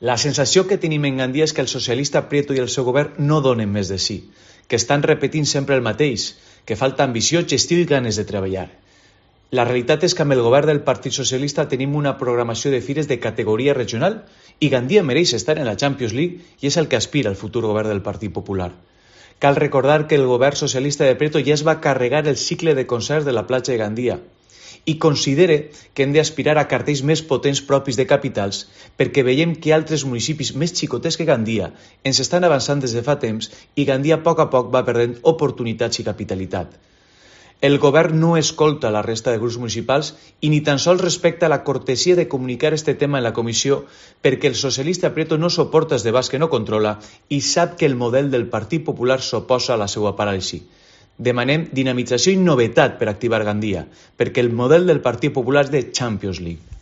La sensació que tenim en Gandia és que el socialista Prieto i el seu govern no donen més de si, que estan repetint sempre el mateix, que falta ambició, gestió i ganes de treballar. La realitat és que amb el govern del Partit Socialista tenim una programació de fires de categoria regional i Gandia mereix estar en la Champions League i és el que aspira el futur govern del Partit Popular. Cal recordar que el govern socialista de Prieto ja es va carregar el cicle de concerts de la platja de Gandia i considere que hem d'aspirar a cartells més potents propis de capitals perquè veiem que altres municipis més xicotets que Gandia ens estan avançant des de fa temps i Gandia a poc va perdent oportunitats i capitalitat. El govern no escolta la resta de grups municipals i ni tan sols respecta la cortesia de comunicar este tema en la comissió perquè el socialista Prieto no suporta els debats que no controla i sap que el model del Partit Popular s'oposa a la seva paràlisi. Demanem dinamització i novetat per activar Gandia, perquè el model del Partit Popular és de Champions League.